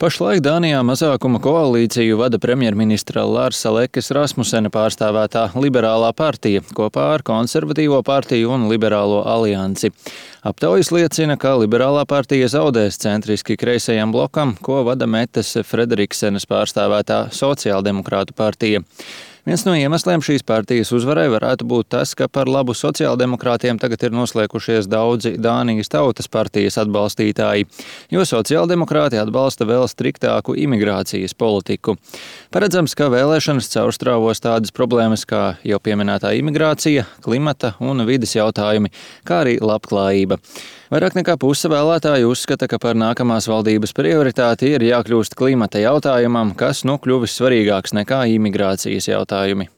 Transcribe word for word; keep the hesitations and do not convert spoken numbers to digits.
Pašlaik Dānijā mazākuma koalīciju vada premjerministra Larsa Lekes Rasmusena pārstāvētā Liberālā partija kopā ar Konservatīvo partiju un Liberālo aliansi. Aptaujas liecina, ka Liberālā partija zaudēs centriski kreisajam blokam, ko vada Metes Frederiksenes pārstāvētā Sociāldemokrātu partija. Viens no iemesliem šīs partijas uzvarai varētu būt tas, ka par labu sociāldemokrātiem tagad ir noslēgušies daudzi Dānijas tautas partijas atbalstītāji, jo sociāldemokrāti atbalsta vēl striktāku imigrācijas politiku. Paredzams, ka vēlēšanas caurstrāvos tādas problēmas kā jau pieminētā imigrācija, klimata un vides jautājumi, kā arī labklājība. Vairāk nekā puse vēlētāju uzskata, ka par nākamās valdības prioritāti ir jākļūst klimata jautājumam, kas nu kļuvis svarīgāks nekā imigrācijas jautājumi.